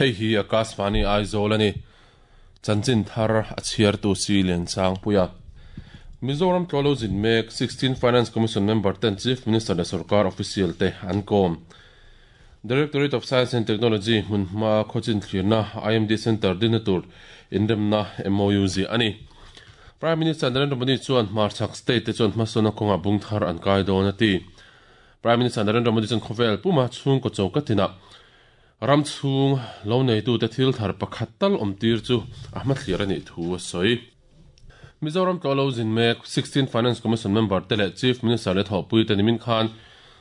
Hei hi Akashvani Aizawl a ni. Chanchin thar a chhiartu si Liansangpuia. Mizoram tlawlo zin mek 16 Finance Commission member ten Chief Minister leh Sorkar official te an kawm. Directorate of Science and Technology hmunhma khawchin thlirna IMD Centre dinna tur inremna MOU ziah a ni. Prime Minister Narendra Modi chuan hmarchhak state te chuan hmasawnna kawngah bung thar an kai dawn a ti. Prime Minister Narendra Modi chuan khawvel puma chhungkaw choka tinah ram chhung lo neitute thil thar pakhat tal awm tir chu a hmathlir a nih thu a sawi. Mizoram tlawh lo zin mek 16 Finance Commission member te leh Chief Minister leh thawhpui te nimin khan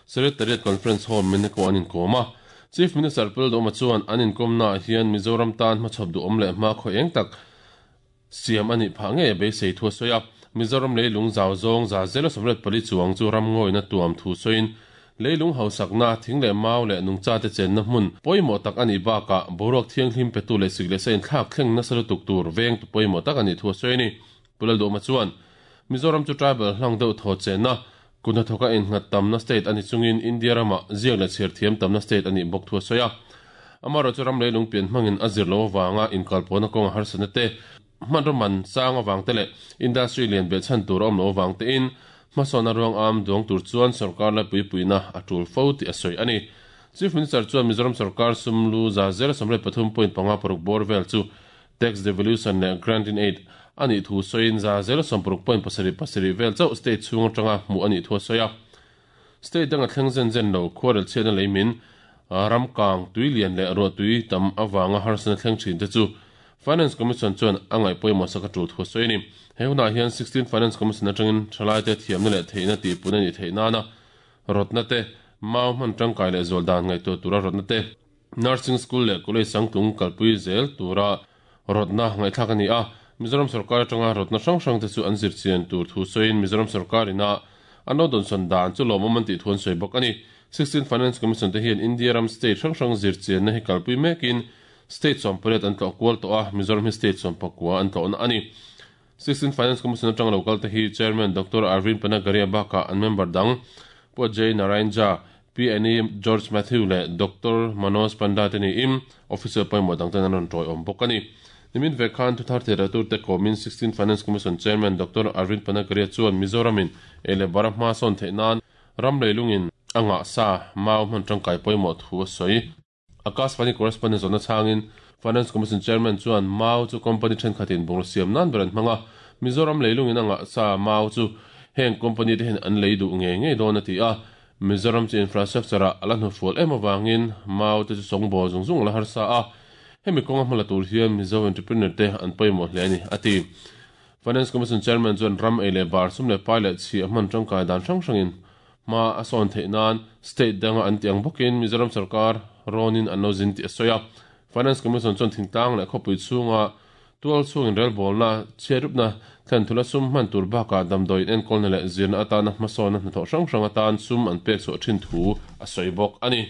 Secretariat Conference Hall Meneko an inkawm a. Chief Minister Pul Duhawma chuan an inkawmnaah hian Mizoram tan hmachhawp duhawm leh hmakhua eng tak siam a nih phah ngei a beisei thu a sawi a. Mizoram leilung zau zawng 184 chuang chu ramngawina tuam thu sawiin leilung hausakna, thing leh mau leh nungchate chenna hmun pawimawh tak a nih bakah boruak thianghlim petu leh sik leh sa inthlak thleng nasa lutuk tur vengtu pawimawh tak a nih thu a sawi a ni. Pu Lalduhawma chuan, Mizoram chu tribal hlang deuh thaw chenna, kut hnathawka innghat tamna state a ni chungin India ramah ziak leh chhiar thiam tamna state a nih bawk thu a sawi a. Amaherawhchu chu ram leilung pian hmangin a zir loh avanga inkalpawhna kawnga harsatna te, hmanraw man chang avang te leh industry lian beh chhan tur a awm loh avang tein hmasawnna ruang am duang tur chuan sorkar laipui puihna a tul fo tih a sawi a ni. Chief Minister chuan Mizoram sorkar sum lu 183.56 bawr vel chu tax devolution leh grant-in-aid a nih thu sawiin 160.77 vel chauh state chhung atanga hmuh a nih thu a sawi a. State danga thleng zen zen lo khuarel chhiatna lei min, ram kang, tui lian leh ruah tui tam avanga harsatna thleng thin te chu Finance Commission chuan a ngaih pawimawh sak a tul thu a sawi a ni. He hunah hian 16 Finance Commission atangin thalaite thiamna leh theihna tihpun a nih theih nana rawtna te, mau hman tangkai leh zual dan ngaihtuah tura rawtna te, Nursing School leh College sangtlung kalpui zel tura rawtna ngaihthlak a ni a. Mizoram sorkar atanga rawtna hrang hrang te chu an zirchian tur thu sawiin Mizoram sorkar ina an lo dawnsawn dan chu lawmawm an tih thu an sawi bawk a ni. 16 Finance Commission te hian India ram state hrang hrang zirchianna hi kalpui mekin state 18 an tlawh kual tawh a, Mizoram hi state 19 an tlawhna a ni. 16 Finance Commission atanga lo kal te hi Chairman Doctor Arvind Panagariya bakah an member dang Pu Ajay Narayan Jha, Pi Annie George Mathew leh Doctor Manoj Panda te niin officer pawimawh dang ten an rawn tawiawm bawk a ni. Nimin ve khan thuthar theihratur te kawmin 16 Finance Commission Chairman Doctor Arvind Panagariya chuan Mizoramin ei leh bara hma sawn theih nan ram leilungin a ngah sa mau hman tangkai pawimawh thu a sawi. Akashvani correspondent zawhna chhangin Finance Commission Chairman chuan mau chu company thenkhatin bungraw siam nan ber an hmang a, Mizoram leilungin a ngah sa mau chu heng company te hian an lei duh ngei ngei dawn a ti a, Mizoram chu infrastructure ah a la hnufual em avangin mau te chu sawngbawl zung zung a la harsa a, hemi kawnga hmala tur hian Mizo entrepreneur te an pawimawh hle a ni, a ti. Finance Commission Chairman chuan ram ei leh bar sum leh pai leh chhiah hman tangkai dan hrang hrangin hma a sawn theih nan state danga an tih ang bawkin Mizoram sorkar rawnin an lo zin tih a sawi a. Finance Commission chuan thingtlang leh khawpui chhunga tual chhungin relbawlna, chhiatrupna, thlenthula sum hman tur bakah damdawiin enkawlna leh zirna atana hmasawnna hnathawh hrang hrang atan sum an pek chhuah thin thu a sawi bawk a ni.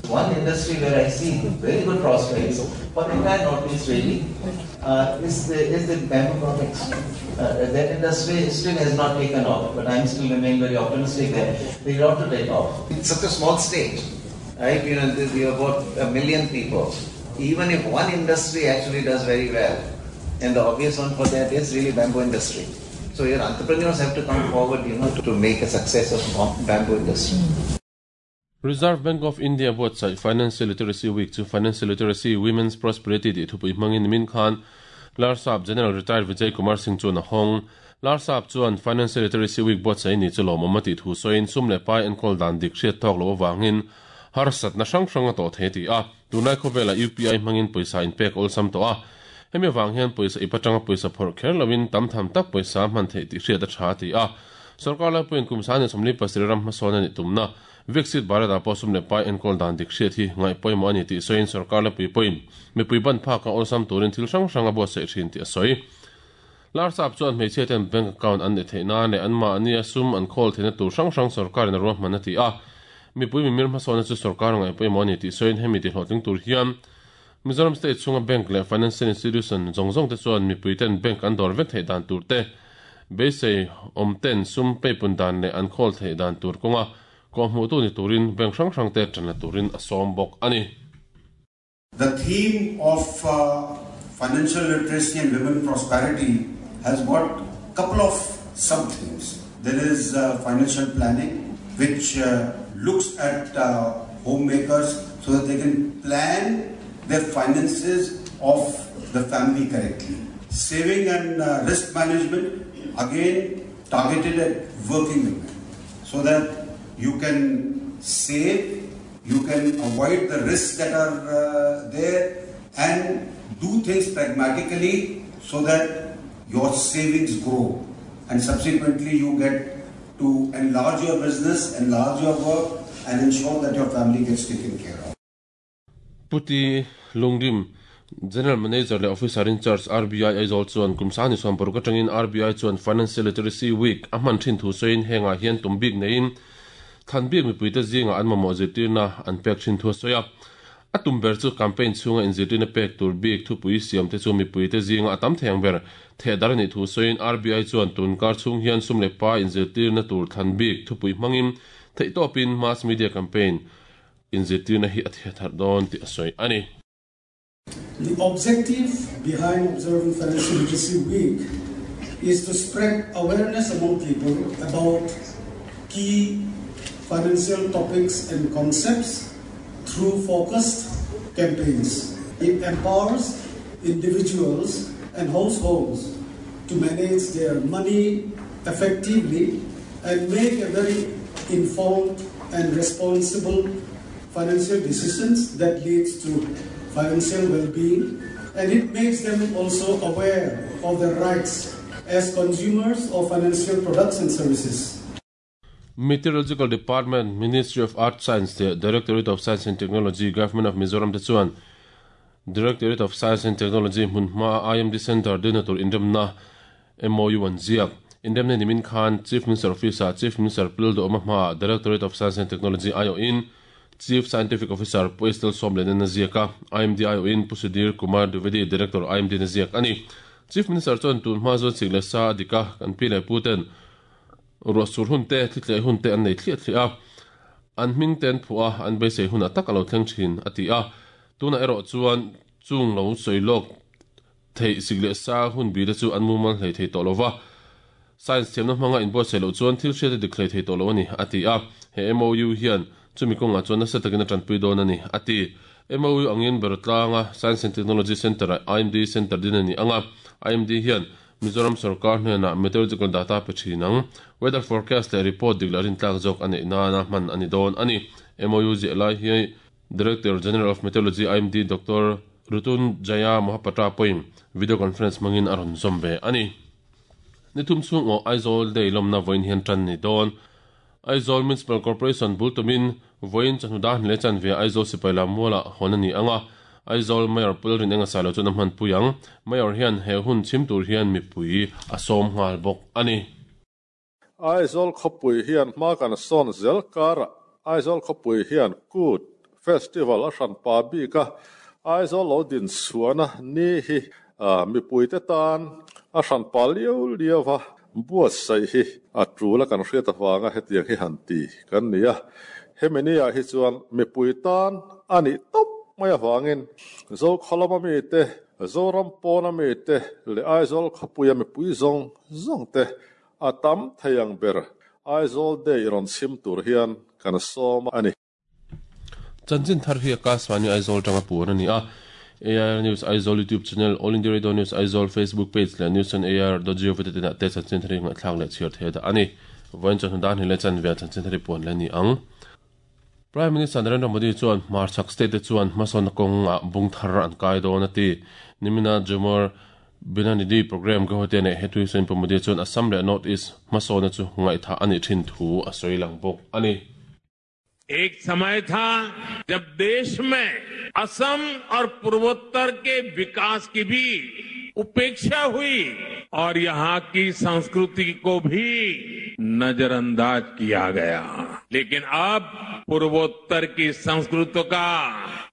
One industry where I see very good prospects for the entire Northeast really is the, is the bamboo products. That industry still has not taken off, but I'm still remain very optimistic that they ought to take off. It's such a small state, right? You know, we have about a million people. Even if one industry actually does very well, and the obvious one for that is really bamboo industry. So your entrepreneurs have to come forward, you know, to make a success of bamboo industry. Reserve Bank of India buatsaih Financial Literacy Week chu Financial Literacy, Women's Prosperity tih thupui hmangin nimin khan Larsap General Retired Vijay Kumar Singh chuan a hawng. Larsap chuan Financial Literacy Week buatsaih ni chu lawmawm a tih thu sawiin sum leh pai enkawl dan dik hriat tawk loh avangin harsatna hrang hrang a tawh thei a ti a. Tunlai khawvelah UPI hmangin pawisa inpek awlsam tawh a, hemi avang hian pawisa ip atanga pawisa phawrh kher loin tam tham tak pawisa hman theih tih hriat a tha a ti a. Sorkar laipuiin kum 2037 ram hmasawn a nih tumna Viksit Bharat-ah pawh sum leh pai enkawl dan dik hriat hi ngaih pawimawh a ni tih sawiin sorkar laipui pawhin mipui ban phaka awlsam turin thil hrang hrang a buatsaih thin tih a sawi. Larsap chuan hmeichhia ten bank account an neih theih nan leh anmahnia sum an khawl theihna tur hrang hrang sorkarin a ruahman a ti a. Mipui mimir hmasawnna chu sorkar ngaih pawimawh a ni tih sawiin hemi tihlawhtling tur hian Mizoram state chhunga bank leh financial institution zawng zawng te chuan mipui ten bank an dawr vek theih dan tur te, beisei awm ten sum peipun dan leh an khawl theih dan tur kawnga kawhhmuhtu ni turin bank hrang hrang te tan la turin a sawm bawk a ni. The theme of financial literacy and women prosperity has got couple of sub-themes. There is financial planning, which looks at homemakers so that they can plan their finances of the family correctly. Saving and risk management, again targeted at working women, so that you can save, you can avoid the risks that are there, and do things pragmatically so that your savings grow, and subsequently you get to enlarge your business, enlarge your work, and ensure that your family gets taken care of. Puti Lungdim, General Manager le Officer in Charge RBI Aizawl chuan kum sani chuan paruk atangin RBI chuan Financial Literacy Week a hman thin thu sawiin hengah hian tum bik neiin than bik mipuite zinga an mamawh zirtirna an pek thin thu a sawi a. A tum ber chu campaign chhunga inzirtirna pek tur bik thupui siam te chu mipuite zinga a tam thei ang ber theh dar a nih thu sawiin RBI chuan tun kar chhung hian sum leh pa inzirtirna tur thlan bik thupui hmangin theihtawpin mass media campaign inzirtirna hi a theh thar dawn tih a sawi a ni. The objective behind observing Financial Literacy Week is to spread awareness among people about key financial topics and concepts through focused campaigns. It empowers individuals and households to manage their money effectively and make a very informed and responsible financial decisions that leads to financial well-being, and it makes them also aware of their rights as consumers of financial products and services. Meteorological Department, Ministry of Earth Science leh Directorate of Science and Technology, Government of Mizoram te chuan Directorate of Science and Technology hmun hmaa IMD Centre dina tur inremna MOU an ziak. Inremna nimin khan Chief Minister Office-ah Chief Minister Pil Duhawma hmaah Directorate of Science and Technology aiawhin Chief Scientific Officer Pu Estelle Sawmlianan a ziak a, IMD aiawhin Pu Sudhir Kumar Dwivedi, Director IMD in a ziak a ni. Chief Minister chuan tun hma chuan sik leh sa a dik a, kan pi leh pu ten ruah sur hun te, thli tleh hun te an nei thliah thliah a, an hming te an phuah a, an beisei hunah tak a lo thleng thin, a ti a. Tunah erawh chuan chung lo sawi lawk theih sik leh sa hun bi te chu an mumal hlei thei tawh lo va, science thiamna hmanga inbuatsaih loh chuan thil hriat a dik hlei thei tawh lo a ni, a ti a. He MOU hian chumi kawngah chuan nasa takin a tanpui dawn a ni, a ti. MOU angin Berawtlanga Science and Technology Centre-ah IMD Centre din a ni ang a, IMD hian Mizoram sorkar hnenah meteorological data pe thin ang. Weather forecast leh report dik leh rintlak zawk a neih nana hman a ni dawn a ni. MOU ziah lai hi Director General of Meteorology IMD Doctor Rutun Jaya Mohapatra pawhin video conference hmangin a rawn zawm ve a ni. Ni thum chhung aw Aizawl Day lawmna vawiin hian tan ni dawn. Aizawl Municipal Corporation bul tumin vawiin chawhnu dar hnilei chanve Aizawl sipai lam mualah hawn a ni ang a, Aizawl Mayor Pu Lalrinenga Sailo chuan a hmanpui ang. Mayor hian he hun chhim tur hian mipui a sawm nghal bawk a ni. Aizawl khawpui hian hma kan sawn zel karah Aizawl khawpui hian Kut Festival a hranpa bik a, Aizawl lo din chhuahna ni hi mipuite tan a hranpa liau liau va buatsaih hi a tul a kan hriat avanga hetiang hi han ti kan ni a. Hemi ni ah hi chuan mipui tan a nih tawp mai avangin Zokhawlama mite, Zoram pawna mite leh Aizawl khawpuia mipui zawng zawng te a tam thei ang ber Aizawl Day rawn chhim tur hian kan sawm a ni. Chanchin thar hi Akashvani Aizawl tanga puan a ni a. AIR News Aizawl YouTube channel, All India Radio News Aizawl Facebook page leh News on AIR dot gov dot in ah te chanchin thar hi ngaihthlak leh chhiar thei dah a ni. Vawiin chawhnu dan hi leh chanve ah chanchin thar hi puan leh a ni ang. Prime Minister Narendra Modi chuan hmarchhak state te chuan hmasawnna kawngah bung thar an kai dawn a ti. Nimina Jumar Binanidhi programme Guwahati a neih he thu hi sawiin Pu Modi chuan Assam leh North East hmasawnna chu ngaihthah a nih thin thu a sawi lang bawk a ni. एक समय था जब देश में असम और पूर्वोत्तर के विकास की भी उपेक्षा हुई और यहां की संस्कृति को भी नजरअंदाज किया गया लेकिन अब पूर्वोत्तर की संस्कृति का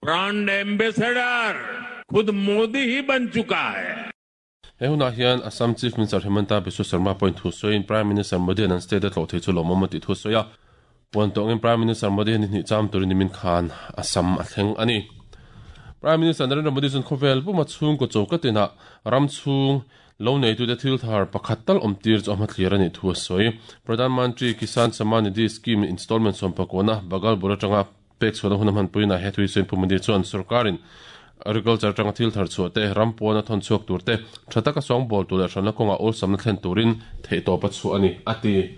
ब्रांड एम्बेसडर खुद मोदी ही बन चुका है He hunah hian Assam Chief Minister Himanta Biswa Sarma pawhin thu sawiin Prime Minister Modi an an state a tlawh thei chu lawmawm a tih thu a sawi a. Puan tawngin Prime Minister Modi hian ni hnih cham turin nimin khan Assam a thleng a ni. Prime Minister Narendra Modi chuan khawvel puma chhungkaw choka tinah ram chhung lo neitute thil thar pakhat tal awm tir chu a hmathlir a nih thu a sawi. Pradhan Mantri Kisan Samman Nidhi Scheme installment sawmpakawna Bhagalpur atanga pek chhuahna hun a hmanpuiin he thui sawi Pu Modi chuan sorkarin agriculture atanga thil thar chhuah te, ram pawn a thawn chhuak tur te, tha taka sawngbawl tur leh hranna kawnga awlsamna thlen turin theihtawp a chhuah a ni, a ti.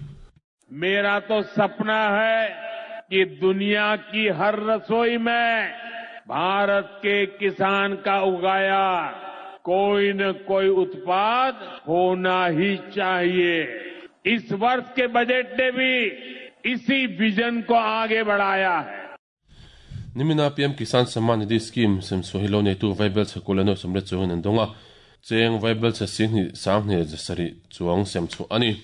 मेरा तो सपना है कि दुनिया की हर रसोई में भारत के किसान का उगाया कोई न कोई उत्पाद होना ही चाहिए। इस वर्ष के बजट ने भी इसी विजन को आगे बढ़ाया है। Nimina PM Kisan Samman Nidhi Scheme sem chhuah hi lo neitu Vaibelchhe Kul Eno Samret chuangin an dawng a, cheng Vaibelchhe Singhnih Sanghnih Zasarih chuang sem chhuah a ni.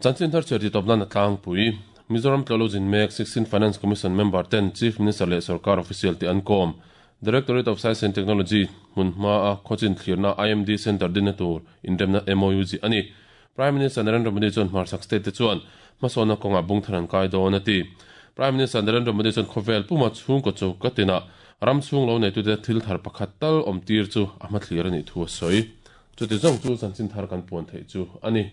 Chanchin thar chhiar titawp nan a tlangpui. Mizoram tlawhlo zin mek 16 Finance Commission member ten Chief Minister leh Sorkar official te an kawm. Directorate of Science and Technology hmun hma a khawchin thlirna IMD Centre dinna tur inremna MOU zih a ni. Prime Minister Narendra Modi chuan hmarchhak state te chuan hmasawnna kawngah bung thar an kai dawn a ti. Prime Minister Narendra Modi chuan khawvel puma chhungkaw choka tinah ram chhung lo neitute thil thar pakhat tal awm tir chu a hmathlir a nih thu a sawi. Chuti zawng chu chanchin thar kan puan theih chu a ni.